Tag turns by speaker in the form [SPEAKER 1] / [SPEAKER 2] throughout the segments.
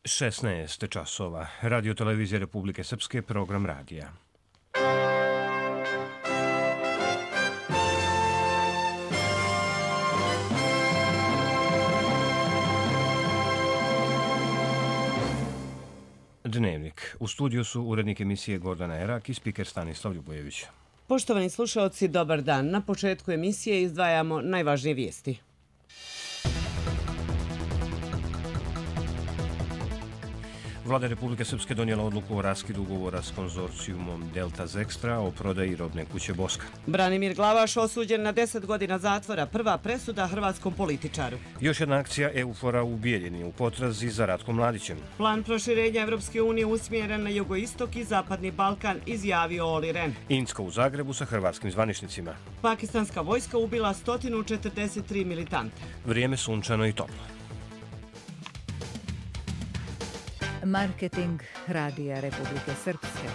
[SPEAKER 1] 16 časova. Radio Televizija Republike Srpske, program radija. Dnevnik. U studiju su urednik emisije Gordana Erak i spiker Stanislav Ljubojević.
[SPEAKER 2] Poštovani slušaoci, dobar dan. Na početku emisije izdvajamo najvažnije vijesti.
[SPEAKER 1] Vlada Republike Srpske donijela odluku o raskidu ugovora s konzorcijumom Delta Zextra o prodaji robne kuće Boska.
[SPEAKER 2] Branimir Glavaš osuđen na 10 godina zatvora, prva presuda hrvatskom političaru.
[SPEAKER 1] Još jedna akcija EUFOR-a u Bijeljini u potrazi za Ratkom Mladićem.
[SPEAKER 2] Plan proširenja Evropske unije usmjeren na jugoistok i zapadni Balkan, izjavio Oli Ren.
[SPEAKER 1] Inska u Zagrebu sa hrvatskim zvaničnicima.
[SPEAKER 2] Pakistanska vojska ubila 143 militanta.
[SPEAKER 1] Vrijeme sunčano i toplo.
[SPEAKER 3] Marketing Radija Republike Srpske.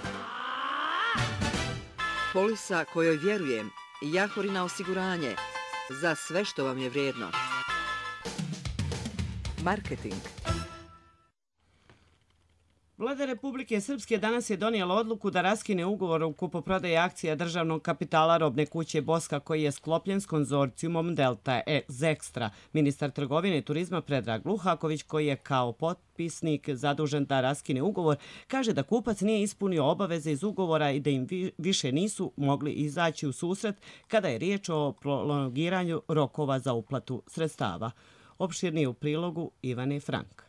[SPEAKER 4] Polisa kojoj vjerujem, Jahorina osiguranje, za sve što vam je vrijedno. Marketing.
[SPEAKER 2] Vlada Republike Srpske danas je donijela odluku da raskine ugovor o kupoprodaji akcija državnog kapitala robne kuće Boska koji je sklopljen s konzorcijumom Delta Zextra. Ministar trgovine i turizma Predrag Luhaković, koji je kao potpisnik zadužen da raskine ugovor, kaže da kupac nije ispunio obaveze iz ugovora i da im više nisu mogli izaći u susret kada je riječ o prolongiranju rokova za uplatu sredstava. Opširnije u prilogu Ivane Frank.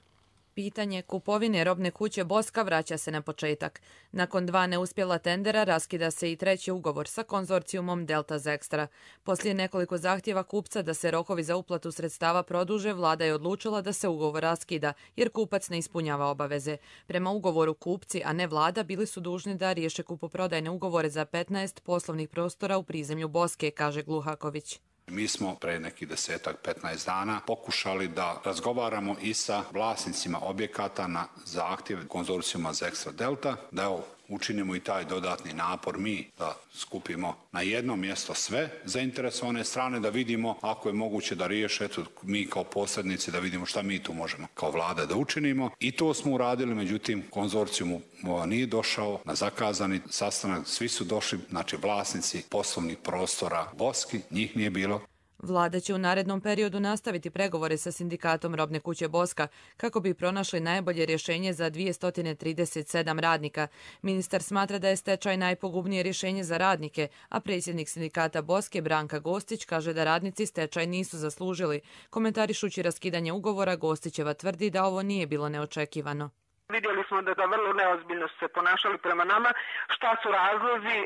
[SPEAKER 5] Pitanje kupovine robne kuće Boska vraća se na početak. Nakon 2 neuspjela tendera raskida se i treći ugovor sa konzorcijumom Delta Zextra. Poslije nekoliko zahtjeva kupca da se rokovi za uplatu sredstava produže, vlada je odlučila da se ugovor raskida jer kupac ne ispunjava obaveze. Prema ugovoru kupci, a ne vlada, bili su dužni da riješe kupoprodajne ugovore za 15 poslovnih prostora u prizemlju Boske, kaže Gluhaković.
[SPEAKER 6] Mi smo pre nekih 10-15 dana pokušali da razgovaramo i sa vlasnicima objekata na zahtjev konzorcijuma Zextra Delta, da evo učinimo i taj dodatni napor mi da skupimo na jedno mjesto sve zainteresovane strane, da vidimo ako je moguće da riješe, eto mi kao posrednici da vidimo šta mi tu možemo kao vlada da učinimo. I to smo uradili, međutim konzorcijum nije došao na zakazani sastanak, svi su došli, znači vlasnici poslovnih prostora Boski, njih nije bilo.
[SPEAKER 5] Vlada će u narednom periodu nastaviti pregovore sa sindikatom robne kuće Boska kako bi pronašli najbolje rješenje za 237 radnika. Ministar smatra da je stečaj najpogubnije rješenje za radnike, a predsjednik sindikata Boske Branka Gostić kaže da radnici stečaj nisu zaslužili. Komentarišući raskidanje ugovora, Gostićeva tvrdi da ovo nije bilo neočekivano.
[SPEAKER 7] Vidjeli smo da vrlo neozbiljno su se ponašali prema nama. Šta su razlozi,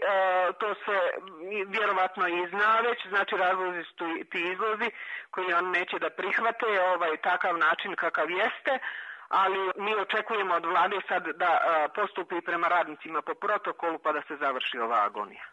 [SPEAKER 7] to se vjerovatno i zna već. Znači razlozi su ti izlozi koji on neće da prihvate takav način kakav jeste. Ali mi očekujemo od vlade sad da postupi prema radnicima po protokolu pa da se završi ova agonija.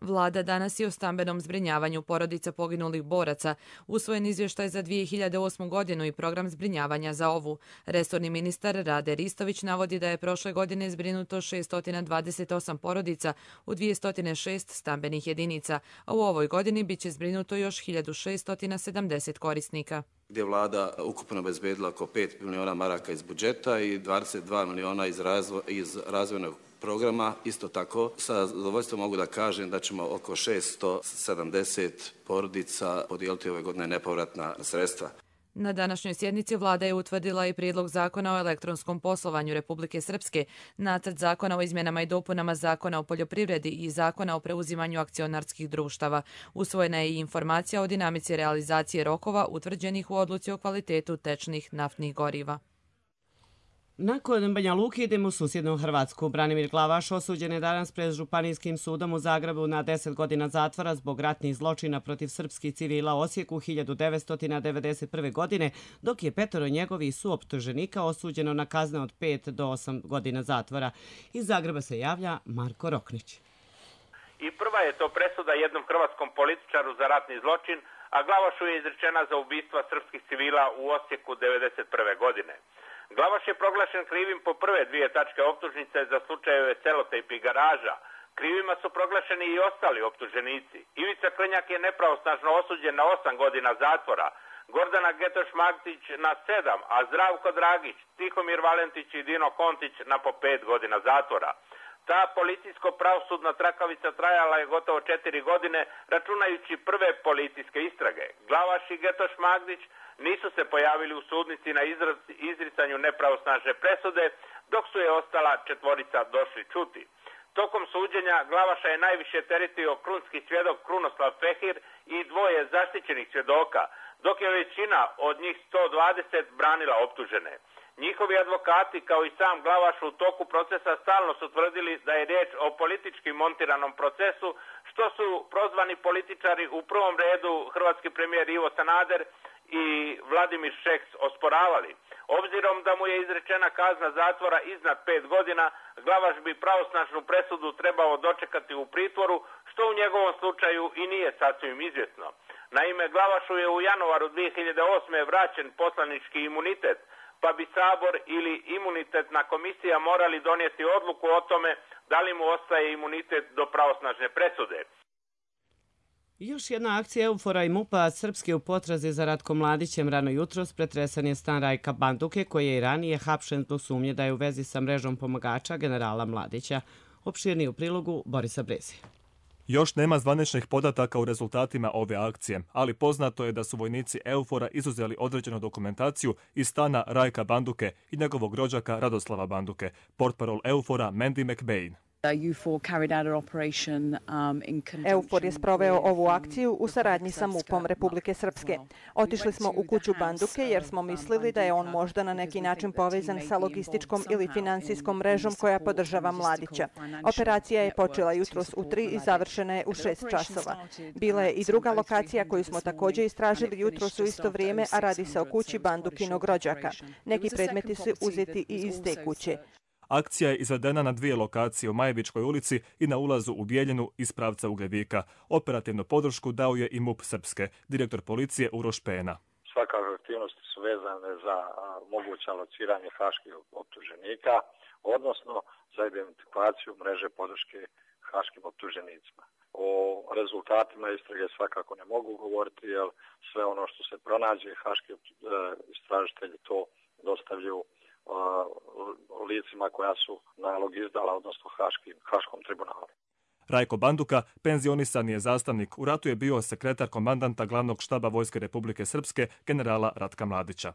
[SPEAKER 5] Vlada danas je o stambenom zbrinjavanju porodica poginulih boraca, usvojen izvještaj za 2008. godinu i program zbrinjavanja za ovu. Resorni ministar Rade Ristović navodi da je prošle godine zbrinuto 628 porodica u 206 stambenih jedinica, a u ovoj godini bit će zbrinuto još 1670 korisnika.
[SPEAKER 8] Gdje vlada ukupno obezbedila oko 5 miliona maraka iz budžeta i 22 miliona iz razvojnog programa. Isto tako, sa zadovoljstvom mogu da kažem da ćemo oko 670 porodica podijeliti ove godine nepovratna sredstva.
[SPEAKER 5] Na današnjoj sjednici vlada je utvrdila i prijedlog zakona o elektronskom poslovanju Republike Srpske, nacrt zakona o izmjenama i dopunama zakona o poljoprivredi i zakona o preuzimanju akcionarskih društava. Usvojena je i informacija o dinamici realizacije rokova utvrđenih u odluci o kvalitetu tečnih naftnih goriva.
[SPEAKER 2] Nakon Banja Luke idemo u susjednu Hrvatsku. Branimir Glavaš osuđen je danas pred Županijskim sudom u Zagrebu na 10 godina zatvora zbog ratnih zločina protiv srpskih civila u Osijeku 1991. godine, dok je 5 njegovih suoptuženika osuđeno na kazne od 5 do 8 godina zatvora. Iz Zagreba se javlja Marko Roknić.
[SPEAKER 9] I prva je to presuda jednom hrvatskom političaru za ratni zločin, a Glavašu je izrečena za ubistva srpskih civila u Osijeku 1991. godine. Glavaš je proglašen krivim po prve 2 tačke optužnice za slučajeve Selotejp i Garaža. Krivima su proglašeni i ostali optuženici. Ivica Krnjak je nepravosnažno osuđen na 8 godina zatvora. Gordana Getoš-Magtić na 7, a Zdravko Dragić, Tihomir Valentić i Dino Kontić na po 5 godina zatvora. Ta policijsko-pravosudna trakavica trajala je gotovo 4 godine, računajući prve policijske istrage. Glavaš i Getoš Magdić nisu se pojavili u sudnici na izricanju nepravosnažne presude, dok su je ostala 4 došli čuti. Tokom suđenja Glavaša je najviše teretio krunski svjedok Krunoslav Fehir i 2 zaštićenih svjedoka, dok je većina od njih 120 branila optužene. Njihovi advokati, kao i sam Glavaš, u toku procesa stalno su tvrdili da je riječ o politički montiranom procesu, što su prozvani političari, u prvom redu hrvatski premijer Ivo Sanader i Vladimir Šeks, osporavali. Obzirom da mu je izrečena kazna zatvora iznad 5 godina, Glavaš bi pravosnažnu presudu trebao dočekati u pritvoru, što u njegovom slučaju i nije sasvim izvjesno. Naime, Glavašu je u januaru 2008. vraćen poslanički imunitet, pa bi Sabor ili imunitetna komisija morali donijeti odluku o tome da li mu ostaje imunitet do pravosnažne presude.
[SPEAKER 2] Još jedna akcija Eufora i MUP-a Srpske u potrazi za Ratkom Mladićem rano jutros pretresan je stan Rajka Banduke, koji je i ranije hapšen zbog sumnje da je u vezi sa mrežom pomagača generala Mladića. Opširniji u prilogu Borisa Brezi.
[SPEAKER 10] Još nema zvaničnih podataka u rezultatima ove akcije, ali poznato je da su vojnici Eufora izuzeli određenu dokumentaciju iz stana Rajka Banduke i njegovog rođaka Radoslava Banduke, portparol Eufora Mandy McBain.
[SPEAKER 11] EUFOR je sproveo ovu akciju u saradnji sa MUP-om Republike Srpske. Otišli smo u kuću Banduke jer smo mislili da je on možda na neki način povezan sa logističkom ili finansijskom mrežom koja podržava Mladića. Operacija je počela jutros u 3 i završena je u 6 časova. Bila je i druga lokacija koju smo također istražili jutros u isto vrijeme, a radi se o kući Bandukinog rođaka. Neki predmeti su uzeti i iz te kuće.
[SPEAKER 10] Akcija je izvedena na 2 lokacije u Majevičkoj ulici i na ulazu u Bijeljinu iz pravca Ugljevika. Operativnu podršku dao je i MUP Srpske, direktor policije Uroš Pena.
[SPEAKER 12] Svakako aktivnosti su vezane za moguće lociranje haških optuženika, odnosno za identifikaciju mreže podrške haškim optuženicima. O rezultatima istrage svakako ne mogu govoriti, jer sve ono što se pronađe, haški istražitelji to dostavljaju licima koja su nalog izdala, odnosno Haškom tribunalu.
[SPEAKER 10] Rajko Banduka, penzionisan je zastavnik. U ratu je bio sekretar komandanta glavnog štaba Vojske Republike Srpske, generala Ratka Mladića.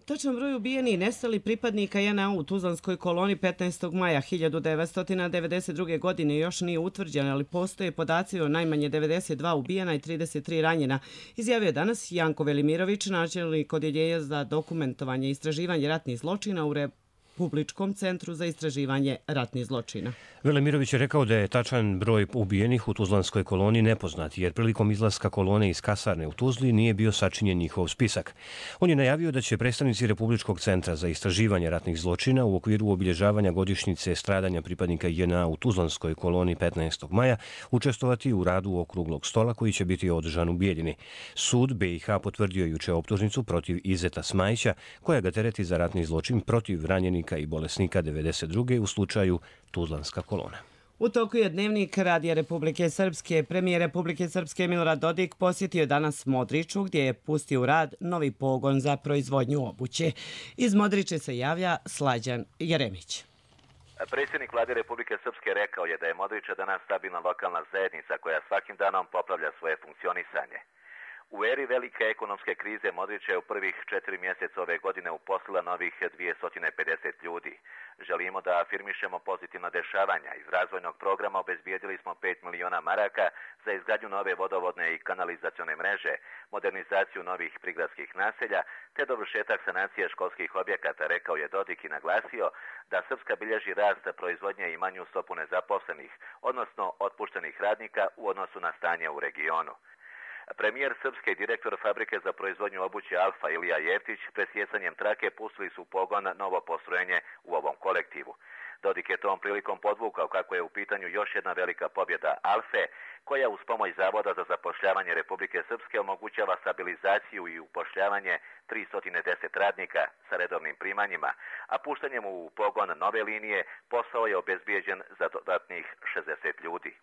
[SPEAKER 2] Točan broj ubijenih i nestali pripadnika JNA u Tuzlanskoj koloni 15. maja 1992. godine još nije utvrđen, ali postoje podaci o najmanje 92 ubijena i 33 ranjena, izjavio je danas Janko Velimirović, načelnik Odjeljenja za dokumentovanje i istraživanje ratnih zločina u Republičkom centru za istraživanje ratnih zločina.
[SPEAKER 1] Velimirović je rekao da je tačan broj ubijenih u Tuzlanskoj koloni nepoznat, jer prilikom izlaska kolone iz kasarne u Tuzli nije bio sačinjen njihov spisak. On je najavio da će predstavnici Republičkog centra za istraživanje ratnih zločina u okviru obilježavanja godišnjice stradanja pripadnika JNA u Tuzlanskoj koloni 15. maja učestvovati u radu okruglog stola koji će biti održan u Bijeljini. Sud BiH potvrdio juče optužnicu protiv Izeta Smajića, koja ga tereti za ratni zločin protiv ranjenika i bolesnika 92. u slučaju Tuzlanska kolona.
[SPEAKER 2] U toku je dnevnik Radija Republike Srpske. Premijer Republike Srpske Milorad Dodik posjetio danas Modriču, gdje je pustio u rad novi pogon za proizvodnju obuće. Iz Modriče se javlja Slađan Jeremić.
[SPEAKER 13] Predsjednik Vlade Republike Srpske rekao je da je Modriča danas stabilna lokalna zajednica koja svakim danom popravlja svoje funkcionisanje. U eri velike ekonomske krize Modrića je u prvih 4 mjeseca ove godine uposlila novih 250 ljudi. Želimo da afirmišemo pozitivna dešavanja. Iz razvojnog programa obezbijedili smo 5 miliona maraka za izgradnju nove vodovodne i kanalizacione mreže, modernizaciju novih prigradskih naselja te dovršetak sanacije školskih objekata, rekao je Dodik i naglasio da Srpska bilježi rast proizvodnje i manju stopu nezaposlenih, odnosno otpuštenih radnika u odnosu na stanje u regionu. Premijer Srpske i direktor fabrike za proizvodnju obuće Alfa Ilija Jeftić presjecanjem trake pustili su u pogon novo postrojenje u ovom kolektivu. Dodik je tom prilikom podvukao kako je u pitanju još jedna velika pobjeda Alfe, koja uz pomoć Zavoda za zapošljavanje Republike Srpske omogućava stabilizaciju i upošljavanje 310 radnika sa redovnim primanjima, a puštanjem u pogon nove linije posao je obezbijeđen za dodatnih 60 ljudi.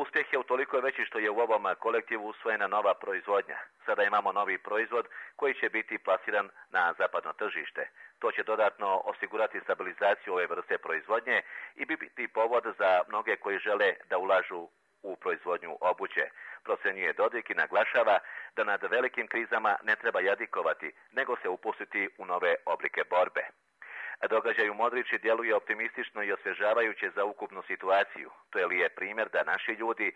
[SPEAKER 13] Uspjeh je utoliko veći što je u ovom kolektivu usvojena nova proizvodnja. Sada imamo novi proizvod koji će biti plasiran na zapadno tržište. To će dodatno osigurati stabilizaciju ove vrste proizvodnje i biti povod za mnoge koji žele da ulažu u proizvodnju obuće. Procenjuje Dodik i naglašava da nad velikim krizama ne treba jadikovati, nego se upustiti u nove oblike borbe. Događaj u Modriči djeluje optimistično i osvježavajuće za ukupnu situaciju. To je lijep primjer da naši ljudi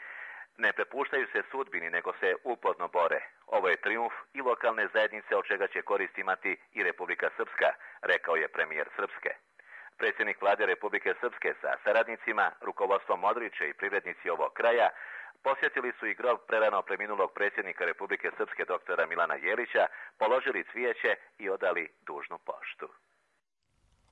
[SPEAKER 13] ne prepuštaju se sudbini, nego se uporno bore. Ovo je trijumf i lokalne zajednice, od čega će korist imati i Republika Srpska, rekao je premijer Srpske. Predsjednik vlade Republike Srpske sa saradnicima, rukovodstvom Modriče i privrednici ovog kraja posjetili su i grob prerano preminulog predsjednika Republike Srpske doktora Milana Jelića, položili cvijeće i odali dužnu poštu.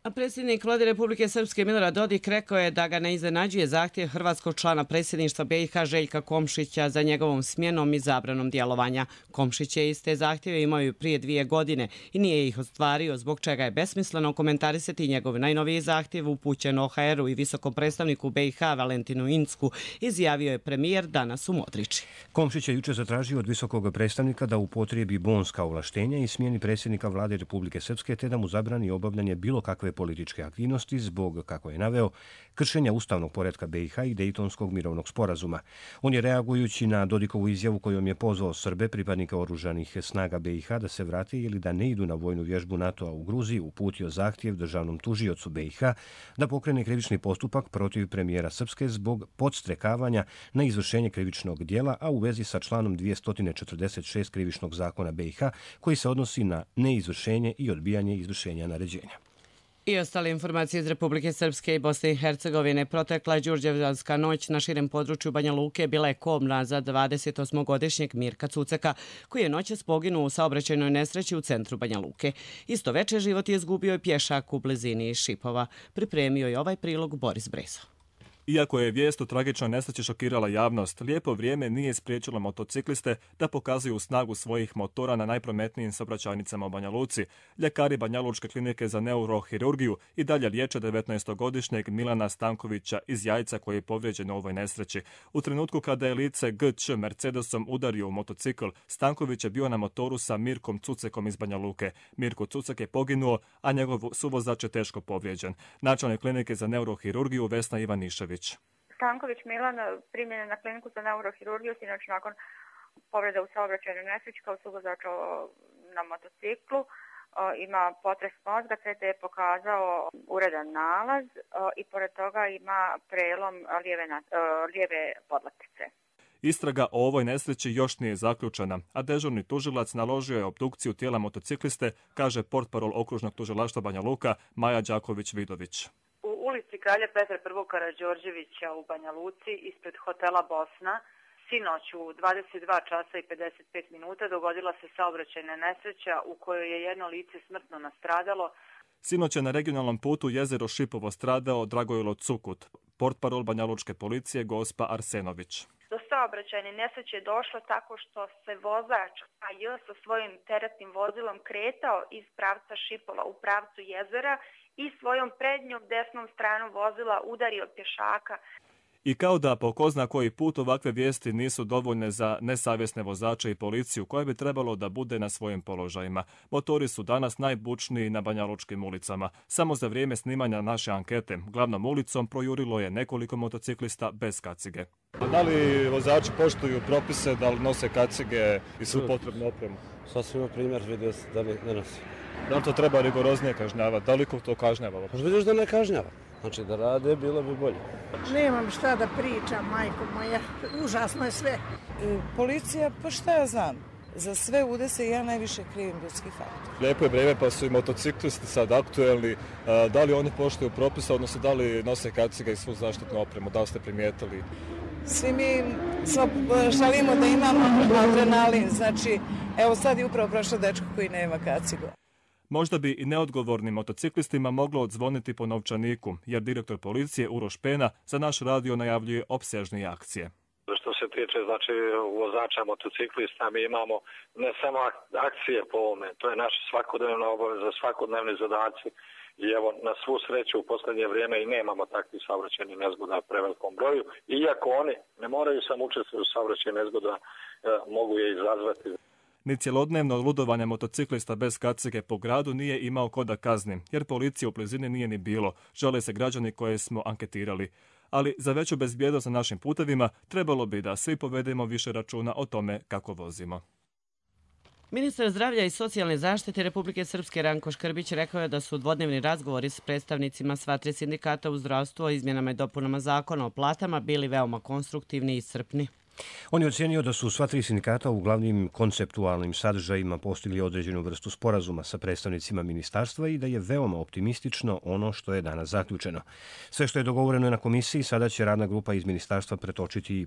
[SPEAKER 2] A predsjednik vlade Republike Srpske Milorad Dodik rekao je da ga ne iznenađuje zahtjev hrvatskog člana predsjedništva BiH Željka Komšića za njegovom smjenom i zabranom djelovanja. Komšić je iste zahtjeve imao i prije 2 godine i nije ih ostvario, zbog čega je besmisleno komentarisati njegov najnoviji zahtjev upućen OHR-u i visokom predstavniku BiH Valentinu Incku, izjavio je premijer danas u Modriči.
[SPEAKER 1] Komšić je jučer zatražio od visokog predstavnika da upotrijebi bonska ovlaštenja i smjeni predsjednika vlade Republike Srpske te da mu zabrani obavljanje bilo kakve političke aktivnosti zbog, kako je naveo, kršenja ustavnog poretka BiH i Dejtonskog mirovnog sporazuma. On je, reagujući na Dodikovu izjavu kojom je pozvao Srbe, pripadnike oružanih snaga BiH, da se vrate ili da ne idu na vojnu vježbu NATO-a u Gruziji, uputio zahtjev državnom tužiocu BiH da pokrene krivični postupak protiv premijera Srpske zbog podstrekavanja na izvršenje krivičnog djela, a u vezi sa članom 246 krivičnog zakona BiH koji se odnosi na neizvršenje i odbijanje izvršenja naređenja.
[SPEAKER 2] I ostale informacije iz Republike Srpske i Bosne i Hercegovine. Protekla Đurđevdanska noć na širem području Banja Luke bila je kobna za 28-godišnjeg Mirka Cuceka, koji je noćas poginuo u saobraćajnoj nesreći u centru Banja Luke. Isto veče život je izgubio i pješak u blizini Šipova. Pripremio je ovaj prilog Boris Brezo.
[SPEAKER 10] Iako je vijest o tragičnoj nesreći šokirala javnost, lijepo vrijeme nije spriječilo motocikliste da pokazuju snagu svojih motora na najprometnijim saobraćajnicama u Banja Luci. Ljekari Banjalučke klinike za neurohirurgiju i dalje liječe 19-godišnjeg Milana Stankovića iz Jajca koji je povrijeđen u ovoj nesreći. U trenutku kada je lice GČ Mercedesom udario u motocikl, Stanković je bio na motoru sa Mirkom Cucekom iz Banja Luke. Mirko Cucek je poginuo, a njegov suvozač je teško povrijeđen. Načelnik klinike za neurohirurgiju Vesna Ivanišević.
[SPEAKER 14] Stanković Milan primljen je na kliniku za neurohirurgiju, sinoć nakon povrede u saobraćajnoj nesreći kao suvozač na motociklu. Ima potres mozga, CT je pokazao uredan nalaz i pored toga ima prelom lijeve podlaktice.
[SPEAKER 10] Istraga o ovoj nesreći još nije zaključena, a dežurni tužilac naložio je obdukciju tijela motocikliste, kaže portparol okružnog tužilaštva Banja Luka Maja Đaković-Vidović.
[SPEAKER 15] U ulici Kralja Petra I. Karađorđevića u Banja Luci ispred hotela Bosna sinoć u 22 časa i 55 minuta dogodila se saobraćajna nesreća u kojoj je jedno lice smrtno nastradalo.
[SPEAKER 10] Sinoć je na regionalnom putu Jezero Šipovo stradao Dragojlo Cukut, portparol banjalučke policije Gospa Arsenović.
[SPEAKER 14] Do saobraćajne nesreće je došlo tako što se vozač AJ sa svojim teretnim vozilom kretao iz pravca Šipola u pravcu jezera i svojom prednjom desnom stranom vozila udario pješaka.
[SPEAKER 10] I kao da po ko zna koji put ovakve vijesti nisu dovoljne za nesavjesne vozače i policiju koja bi trebalo da bude na svojim položajima. Motori su danas najbučniji na banjalučkim ulicama. Samo za vrijeme snimanja naše ankete glavnom ulicom projurilo je nekoliko motociklista bez kacige.
[SPEAKER 16] Da li vozači poštuju propise, da li nose kacige i svu potrebnu opremu?
[SPEAKER 17] Sasvim primjer vidio se da ne nosi.
[SPEAKER 16] Da li to treba rigoroznije kažnjavati? Da li ko to kažnjava?
[SPEAKER 17] Pa vidiš da ne kažnjava. Znači da rade, bilo bi bolje.
[SPEAKER 18] Nemam šta da pričam, majko moja. Užasno je sve.
[SPEAKER 19] Policija, pa šta ja znam? Za sve udese ja najviše krivim ljudski faktor.
[SPEAKER 16] Lijepo je vrijeme pa su i motociklisti sad aktuelni. Da li oni poštuju propise, odnosno da li nose kacige i svu zaštitnu opremu? Da li ste primijetili?
[SPEAKER 19] Svi mi želimo da imamo adrenalin. Znači, evo sad je upravo prošao dečko koji nema kacigu.
[SPEAKER 10] Možda bi i neodgovornim motociklistima moglo odzvoniti po novčaniku, jer direktor policije Uroš Pena za naš radio najavljuje opsežnije akcije.
[SPEAKER 12] Što se tiče znači vozača motociklista, mi imamo ne samo akcije po ovome, to je naša svakodnevna obaveza, svakodnevni zadaci I evo, na svu sreću u posljednje vrijeme i nemamo takvih saobraćajnih nezgoda u prevelikom broju, iako oni ne moraju samo učestvovati u saobraćajnim nezgoda, mogu je izazvati.
[SPEAKER 10] Ni cjelodnevno ludovanje motociklista bez kacige po gradu nije imao ko da kazni, jer policije u blizini nije ni bilo, žale se građani koje smo anketirali. Ali za veću bezbjednost na našim putevima trebalo bi da svi povedemo više računa o tome kako vozimo.
[SPEAKER 2] Ministar zdravlja i socijalne zaštite Republike Srpske Ranko Škrbić rekao je da su dvodnevni razgovori s predstavnicima sva tri sindikata u zdravstvu o izmjenama i dopunama zakona o platama bili veoma konstruktivni i iscrpni.
[SPEAKER 1] On je ocjenio da su sva tri sindikata u glavnim konceptualnim sadržajima postigli određenu vrstu sporazuma sa predstavnicima ministarstva i da je veoma optimistično ono što je danas zaključeno. Sve što je dogovoreno na komisiji sada će radna grupa iz ministarstva pretočiti i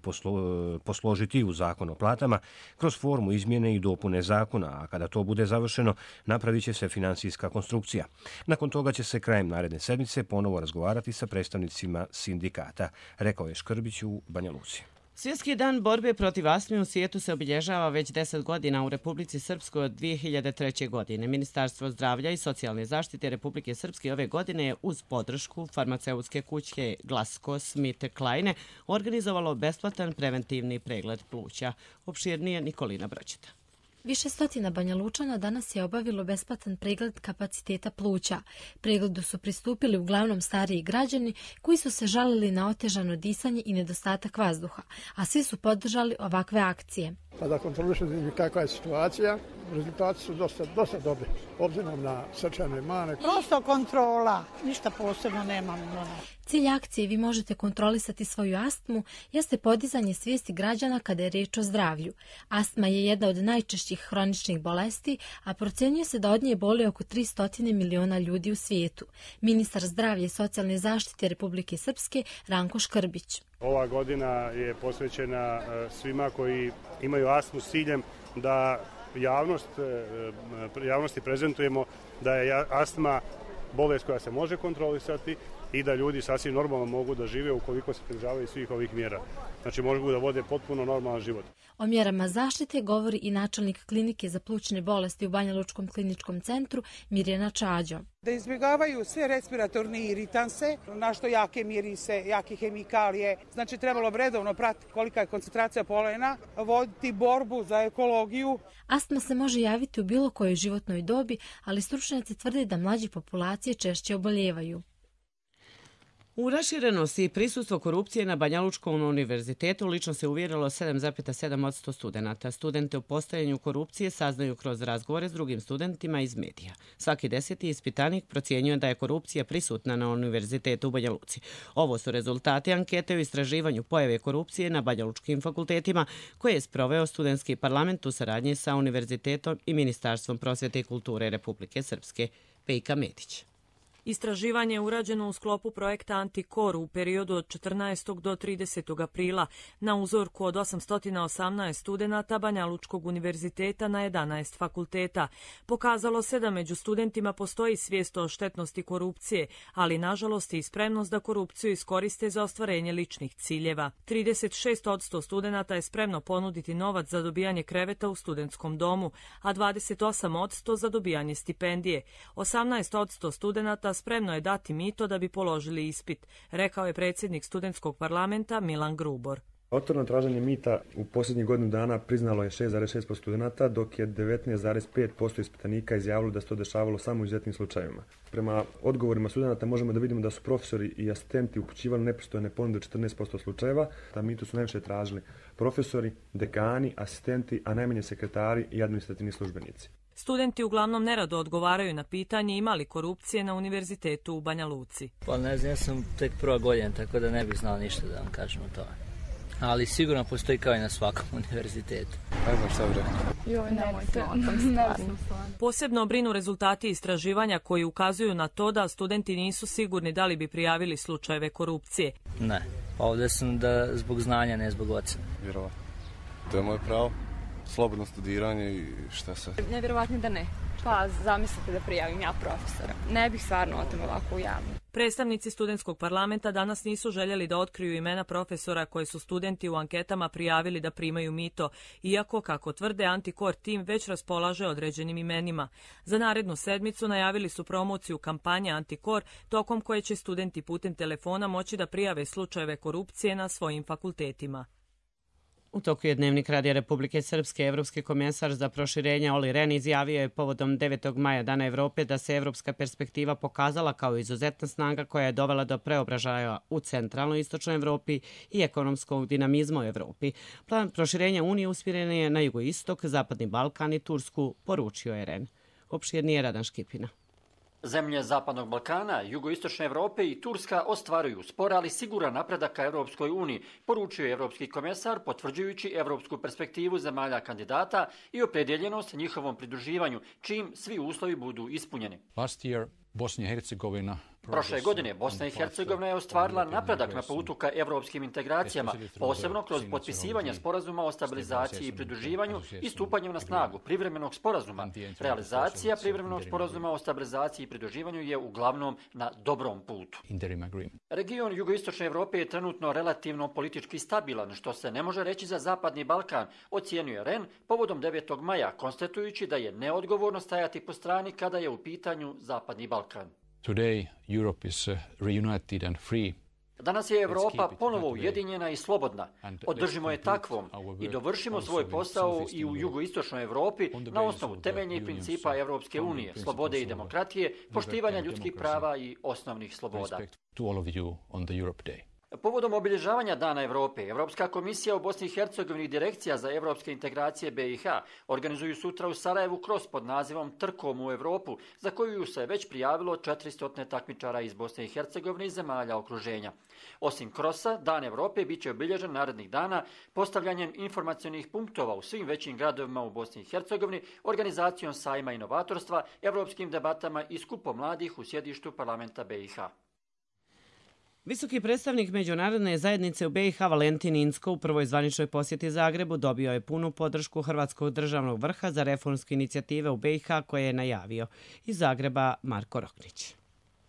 [SPEAKER 1] posložiti u zakon o platama kroz formu izmjene i dopune zakona, a kada to bude završeno napravit će se finansijska konstrukcija. Nakon toga će se krajem naredne sedmice ponovo razgovarati sa predstavnicima sindikata, rekao je Škrbić u Banja Luci.
[SPEAKER 2] Svjetski dan borbe protiv astme u svijetu se obilježava već 10 godina u Republici Srpskoj od 2003. godine. Ministarstvo zdravlja i socijalne zaštite Republike Srpske ove godine je uz podršku farmaceutske kuće GlaxoSmithKline organizovalo besplatan preventivni pregled pluća. Opširnije Nikolina Brođeta.
[SPEAKER 20] Više stotina Banja Lučana danas je obavilo besplatan pregled kapaciteta pluća. Pregledu su pristupili uglavnom stariji građani koji su se žalili na otežano disanje i nedostatak vazduha, a svi su podržali ovakve akcije.
[SPEAKER 21] Pa da kontrolišemo kakva je situacija, rezultati su dosta dobri, obzirom na srčane mane.
[SPEAKER 18] Prosto kontrola, ništa posebno nemamo.
[SPEAKER 20] Cilj akcije Vi možete kontrolisati svoju astmu jeste podizanje svijesti građana kada je riječ o zdravlju. Astma je jedna od najčešćih hroničnih bolesti, a procjenjuje se da od nje boli oko 300 miliona ljudi u svijetu. Ministar zdravlja i socijalne zaštite Republike Srpske Ranko Škrbić.
[SPEAKER 22] Ova godina je posvećena svima koji imaju astmu s ciljem da javnosti prezentujemo da je astma bolest koja se može kontrolisati i da ljudi sasvim normalno mogu da žive ukoliko se pridržavaju svih ovih mjera. Znači mogu da vode potpuno normalan život.
[SPEAKER 20] O mjerama zaštite govori i načelnik klinike za plućne bolesti u Banja Lučkom kliničkom centru Mirjana Čađo.
[SPEAKER 23] Da izbjegavaju sve respiratorne iritanse, našto jake mirise, jake hemikalije. Znači trebalo bi redovno pratiti kolika je koncentracija polena, voditi borbu za ekologiju.
[SPEAKER 20] Astma se može javiti u bilo kojoj životnoj dobi, ali stručnjaci tvrde da mlađi populacije češće oboljevaju.
[SPEAKER 2] U raširenosti i prisustvo korupcije na Banja Lučkom univerzitetu lično se uvjerilo 7,7% studenata. Studente o postojanju korupcije saznaju kroz razgovore s drugim studentima iz medija. Svaki 10. ispitanik procjenjuje da je korupcija prisutna na univerzitetu u Banja Luci. Ovo su rezultati ankete o istraživanju pojave korupcije na Banja Lučkim fakultetima koje je sproveo studentski parlament u saradnji sa univerzitetom i Ministarstvom prosvjete i kulture Republike Srpske. Pejka Medić.
[SPEAKER 24] Istraživanje je urađeno u sklopu projekta Antikor u periodu od 14. do 30. aprila na uzorku od 818 studenata Banja Lučkog univerziteta na 11 fakulteta. Pokazalo se da među studentima postoji svijest o štetnosti korupcije, ali nažalost i spremnost da korupciju iskoriste za ostvarenje ličnih ciljeva. 36% studenata je spremno ponuditi novac za dobijanje kreveta u studentskom domu, a 28% za dobijanje stipendije. 18% studenata spremno je dati mito da bi položili ispit, rekao je predsjednik studentskog parlamenta Milan Grubor.
[SPEAKER 25] Otvoreno traženje mita u posljednjih godinu dana priznalo je 6,6% studenata, dok je 19,5% ispitanika izjavilo da se to dešavalo samo u izuzetnim slučajevima. Prema odgovorima studenata možemo da vidimo da su profesori i asistenti upućivali nepristojne ponude u 14% slučajeva. Da mitu su najviše tražili profesori, dekani, asistenti, a najmanje sekretari i administrativni službenici.
[SPEAKER 24] Studenti uglavnom nerado odgovaraju na pitanje ima li korupcije na univerzitetu u Banja Luci.
[SPEAKER 26] Pa ne znam, ja sam tek prva godina, tako da ne bih znao ništa da vam kažem o tome. Ali sigurno postoji kao i na svakom univerzitetu.
[SPEAKER 24] Posebno brinu rezultati istraživanja koji ukazuju na to da studenti nisu sigurni da li bi prijavili slučajeve korupcije.
[SPEAKER 26] Ne, ovdje sam zbog znanja, ne zbog ocena.
[SPEAKER 27] Vjerovatno. To je moje pravo.
[SPEAKER 3] slobodno studiranje i šta se.
[SPEAKER 4] Nevjerovatno da ne. Pa zamislite da prijavim ja profesora. Ne bih stvarno o tome ovako u javno.
[SPEAKER 24] Predstavnici studentskog parlamenta danas nisu željeli da otkriju imena profesora koje su studenti u anketama prijavili da primaju mito, iako, kako tvrde, Antikor tim već raspolaže određenim imenima. Za narednu sedmicu najavili su promociju kampanje Antikor, tokom koje će studenti putem telefona moći da prijave slučajeve korupcije na svojim fakultetima.
[SPEAKER 2] U toku je Dnevnik Radija Republike Srpske. Evropski komesar za proširenje Olli Rehn izjavio je povodom 9. maja Dana Evrope da se evropska perspektiva pokazala kao izuzetna snaga koja je dovela do preobražaja u centralnoj i istočnoj Evropi i ekonomskog dinamizma u Evropi. Plan proširenja Unije usmjeren je na jugoistok, Zapadni Balkan i Tursku, poručio je Rehn. Opširnije Radan Škipina.
[SPEAKER 5] Zemlje Zapadnog Balkana, jugoistočne Evrope i Turska ostvaruju spor, ali siguran napredak ka Evropskoj uniji, poručio je evropski komesar, potvrđujući evropsku perspektivu zemalja kandidata i opredjeljenost njihovom pridruživanju, čim svi uslovi budu ispunjeni. Prošle godine Bosna i Hercegovina je ostvarila napredak na putu ka evropskim integracijama, posebno kroz potpisivanje sporazuma o stabilizaciji i pridruživanju i stupanjem na snagu privremenog sporazuma. Realizacija privremenog sporazuma o stabilizaciji i pridruživanju je uglavnom na dobrom putu. Region jugoistočne Evrope je trenutno relativno politički stabilan, što se ne može reći za Zapadni Balkan, ocijenio Rehn povodom 9. maja, konstatujući da je neodgovorno stajati po strani kada je u pitanju Zapadni Balkan.
[SPEAKER 6] Today, Europe is reunited and free.
[SPEAKER 5] Danas je Evropa ponovo ujedinjena i slobodna. Održimo je takvom i dovršimo svoj posao i u jugoistočnoj Evropi na osnovu temeljnih principa Evropske unije, slobode i demokratije, poštivanja ljudskih prava i osnovnih sloboda. Povodom obilježavanja Dana Evrope, Evropska komisija u Bosni i Hercegovini i Direkcija za evropske integracije BiH organizuju sutra u Sarajevu cross pod nazivom Trkom u Evropu, za koju se već prijavilo 400 takmičara iz Bosne i Hercegovine i zemalja okruženja. Osim krosa, Dan Evrope bit će obilježen narednih dana postavljanjem informacionih punktova u svim većim gradovima u Bosni i Hercegovini, organizacijom sajma inovatorstva, evropskim debatama i skupom mladih u sjedištu parlamenta BiH.
[SPEAKER 2] Visoki predstavnik međunarodne zajednice u BiH Valentin Incko u prvoj zvaničnoj posjeti Zagrebu dobio je punu podršku Hrvatskog državnog vrha za reformske inicijative u BiH koje je najavio. Iz Zagreba Marko Roknić.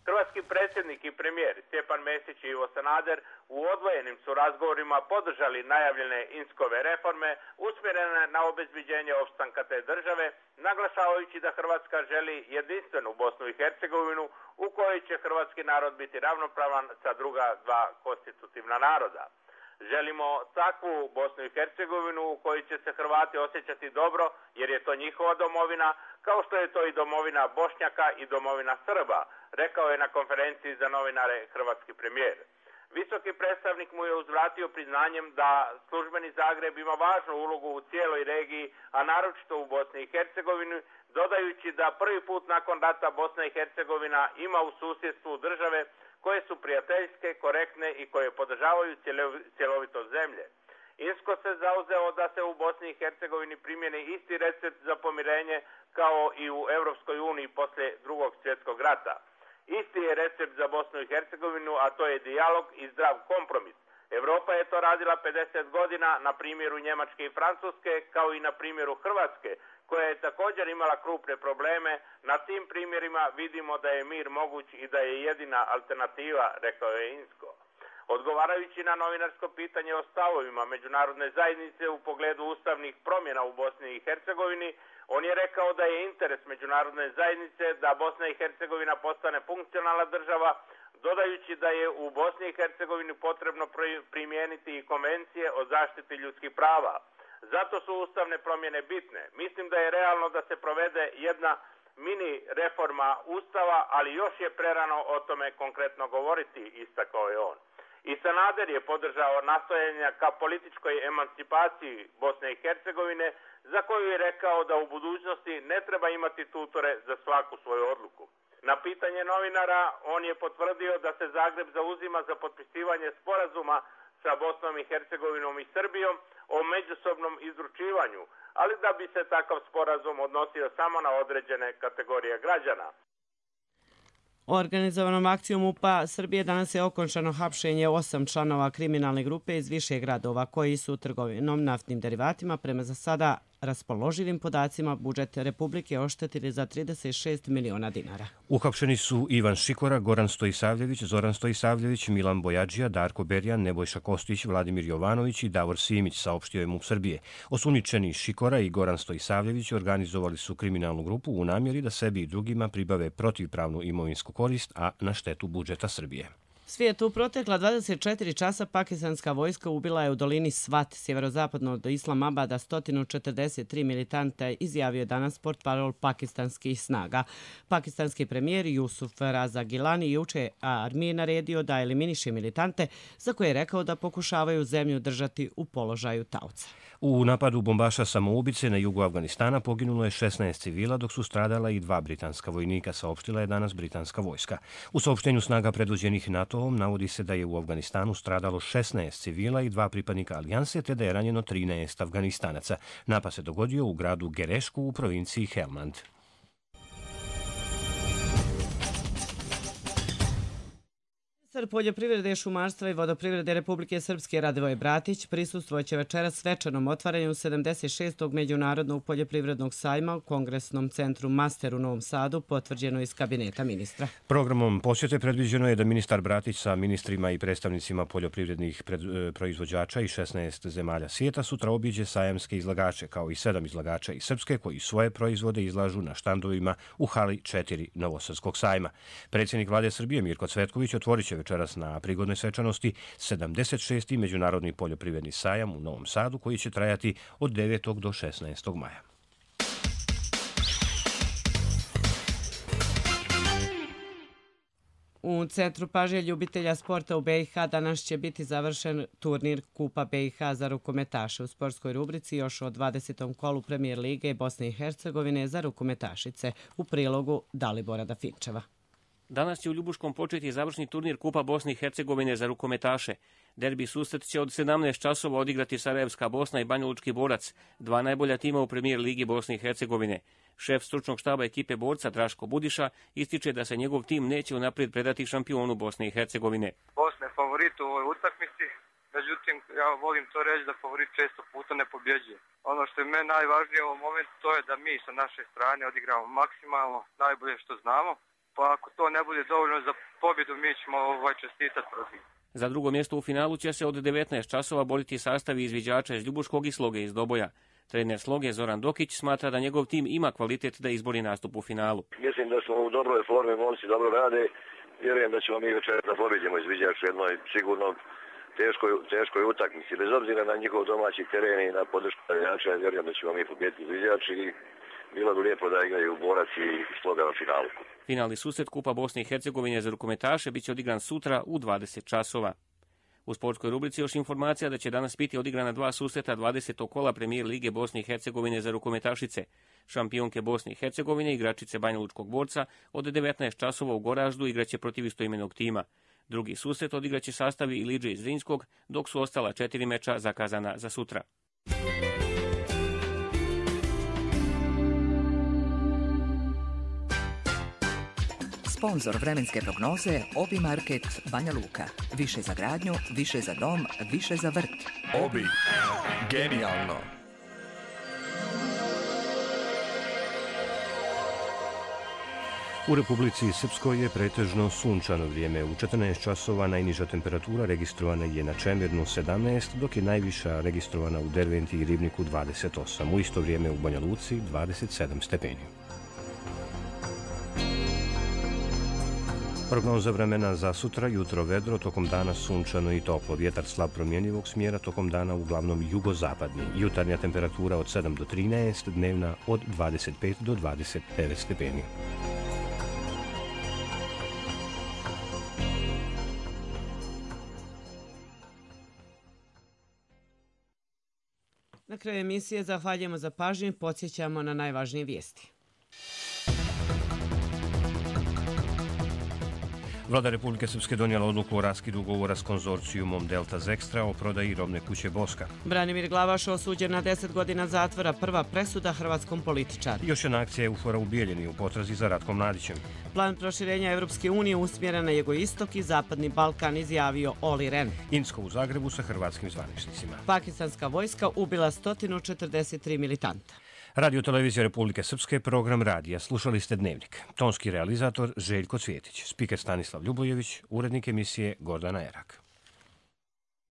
[SPEAKER 9] Hrvatski predsjednik i premijer Stjepan Mesić i Ivo Sanader u odvojenim su razgovorima podržali najavljene Inckove reforme usmjerene na obezbeđenje opstanka te države, naglašavajući da Hrvatska želi jedinstvenu Bosnu i Hercegovinu u kojoj će hrvatski narod biti ravnopravan sa druga dva konstitutivna naroda. Želimo takvu Bosnu i Hercegovinu u kojoj će se Hrvati osjećati dobro jer je to njihova domovina, kao što je to i domovina Bošnjaka i domovina Srba, rekao je na konferenciji za novinare hrvatski premijer. Visoki predstavnik mu je uzvratio priznanjem da službeni Zagreb ima važnu ulogu u cijeloj regiji, a naročito u Bosni i Hercegovini, dodajući da prvi put nakon rata Bosna i Hercegovina ima u susjedstvu države koje su prijateljske, korektne i koje podržavaju cjelovitost zemlje. Insko se zauzeo da se u Bosni i Hercegovini primjeni isti recept za pomirenje kao i u Europskoj uniji poslije Drugog svjetskog rata. Isti je recept za Bosnu i Hercegovinu, a to je dijalog i zdrav kompromis. Evropa je to radila 50 godina na primjeru Njemačke i Francuske, kao i na primjeru Hrvatske, koja je također imala krupne probleme. Na tim primjerima vidimo da je mir moguć i da je jedina alternativa, rekao je Insko. Odgovarajući na novinarsko pitanje o stavovima međunarodne zajednice u pogledu ustavnih promjena u Bosni i Hercegovini, on je rekao da je interes međunarodne zajednice da Bosna i Hercegovina postane funkcionalna država, dodajući da je u Bosni i Hercegovini potrebno primijeniti i konvencije o zaštiti ljudskih prava. Zato su ustavne promjene bitne. Mislim da je realno da se provede jedna mini reforma Ustava, ali još je prerano o tome konkretno govoriti, istakao je on. I Sanader je podržao nastojanja ka političkoj emancipaciji Bosne i Hercegovine, za koju je rekao da u budućnosti ne treba imati tutore za svaku svoju odluku. Na pitanje novinara on je potvrdio da se Zagreb zauzima za potpisivanje sporazuma sa Bosnom i Hercegovinom i Srbijom o međusobnom izručivanju, ali da bi se takav sporazum odnosio samo na određene kategorije građana.
[SPEAKER 2] Organizovanom akcijom MUP-a Srbije danas je okončano hapšenje 8 članova kriminalne grupe iz više gradova koji su trgovinom naftnim derivatima prema za sada raspoloživim podacima budžet Republike oštetili za 36 miliona dinara.
[SPEAKER 1] Uhapšeni su Ivan Šikora, Goran Stojisavljević, Zoran Stojisavljević, Milan Bojadžija, Darko Berjan, Nebojša Kostić, Vladimir Jovanović i Davor Simić, saopštio je MUP Srbije. Osumnjičeni Šikora i Goran Stojisavljević organizovali su kriminalnu grupu u namjeri da sebi i drugima pribave protivpravnu imovinsku korist, a na štetu budžeta Srbije.
[SPEAKER 2] Svijetu u protekla 24 časa pakistanska vojska ubila je u dolini Svat, sjeverozapadno od Islamabada, 143 militanta, izjavio je danas portparol pakistanskih snaga. Pakistanski premijer Jusuf Raza Gilani juče armiji naredio da eliminiše militante, za koje je rekao da pokušavaju zemlju držati u položaju taoca.
[SPEAKER 1] U napadu bombaša samoubice na jugu Afganistana poginulo je 16 civila, dok su stradala i 2 britanska vojnika, saopštila je danas britanska vojska. U saopštenju snaga predvođenih NATO-om navodi se da je u Afganistanu stradalo 16 civila i 2 pripadnika alijanse, te da je ranjeno 13 Afganistanaca. Napad se dogodio u gradu Gerešku u provinciji Helmand.
[SPEAKER 2] Ministar poljoprivrede, šumarstva i vodoprivrede Republike Srpske Radivoj Bratić prisustvovat večeras svečanom otvaranju 76. Međunarodnog poljoprivrednog sajma u Kongresnom centru Master u Novom Sadu, potvrđeno iz kabineta ministra.
[SPEAKER 1] Programom posjete predviđeno je da ministar Bratić sa ministrima i predstavnicima poljoprivrednih proizvođača i 16 zemalja svijeta sutra obiđe sajamske izlagače, kao i 7 izlagača iz Srpske koji svoje proizvode izlažu na štandovima u hali 4 Novosadskog sajma. Predsjednik vlade Srbije Mirko Cvetković otvorit će večeras na prigodnoj svečanosti 76. Međunarodni poljoprivredni sajam u Novom Sadu, koji će trajati od 9. do 16. maja.
[SPEAKER 2] U centru pažnje ljubitelja sporta u BiH danas će biti završen turnir Kupa BiH za rukometaše. U sportskoj rubrici još o 20. kolu Premijer lige Bosne i Hercegovine za rukometašice, u prilogu Dalibora Dafinčeva.
[SPEAKER 7] Danas će u Ljubuškom početi završni turnir Kupa Bosne i Hercegovine za rukometaše. Derbi susret će od 17 časova odigrati Sarajevska Bosna i Banjalučki Borac, 2 najbolja tima u Premijer ligi Bosne i Hercegovine. Šef stručnog štaba ekipe Borca Draško Budiša ističe da se njegov tim neće unaprijed predati šampionu Bosne i Hercegovine.
[SPEAKER 8] Bosna je favorit u ovoj utakmici, međutim ja volim to reći da favorit često puta ne pobjeđuje. Ono što je meni najvažnije u ovom momentu to je da mi sa naše strane odigramo maksimalno najbolje što znamo. Pa ako to ne bude dovoljno za pobjedu, mi ćemo čestitati protiv.
[SPEAKER 7] Za drugo mjesto u finalu će se od 19 časova boriti sastavi izviđača iz Ljubuškog i Sloge iz Doboja. Trener Sloge Zoran Dokić smatra da njegov tim ima kvalitet da izbori nastup u finalu.
[SPEAKER 11] Mislim da smo u dobroj formi, momci dobro rade. Vjerujem da ćemo mi večeras da pobjedimo izviđač u jednoj sigurno teškoj utakmici. Bez obzira na njihov domaći teren i na podršku navijača, vjerujem da ćemo mi pobjediti izviđač i bilo bi lijepo da igraju Borac i Sloga na finalu.
[SPEAKER 7] Finalni susret Kupa Bosne i Hercegovine za rukometaše biće odigran sutra u 20 časova. U sportskoj rubrici još informacija da će danas biti odigrana 2 susreta 20. kola Premijer lige Bosne i Hercegovine za rukometašice. Šampionke Bosne i Hercegovine, igračice Banjalučkog Borca, od 19 časova u Goraždu igraće protiv istoimenog tima. Drugi susret odigraće sastavi Ilidže iz Zrinskog, dok su ostala 4 meča zakazana za sutra.
[SPEAKER 13] Sponzor vremenske prognoze Obi Market Banja Luka. Više za gradnju, više za dom, više za vrt.
[SPEAKER 14] Obi. Genijalno.
[SPEAKER 1] U Republici Srpskoj je pretežno sunčano vrijeme. U 14 časova najniža temperatura registrovana je na Čemirnu 17, dok je najviša registrovana u Derventi i Ribniku 28. U isto vrijeme u Banja Luci 27 stepeni. Prognoza vremena za sutra: jutro vedro, tokom dana sunčano i toplo, vjetar slab promjenjivog smjera, tokom dana uglavnom jugozapadni. Jutarnja temperatura od 7 do 13, dnevna od 25 do 29 stepeni.
[SPEAKER 2] Na kraju emisije zahvaljujemo za pažnju i podsjećamo na najvažnije vijesti.
[SPEAKER 1] Vlada Republike Srpske donijela odluku o raskidu ugovora s konzorcijumom Delta Zextra o prodaji robne kuće Boska.
[SPEAKER 2] Branimir Glavaš osuđen na 10 godina zatvora, prva presuda hrvatskom političaru.
[SPEAKER 1] Još jedna akcija EUFOR-a u Bijeljini u potrazi za Ratkom Mladićem.
[SPEAKER 2] Plan proširenja Evropske unije usmjeren na jugoistok i zapadni Balkan, izjavio Oli Ren.
[SPEAKER 1] Insko u Zagrebu sa hrvatskim zvaničnicima.
[SPEAKER 2] Pakistanska vojska ubila 143 militanta.
[SPEAKER 1] Radio Televizija Republike Srpske, program radija. Slušali ste Dnevnik. Tonski realizator Željko Cvjetić, spiker Stanislav Ljubojević, urednik emisije Gordana Erak.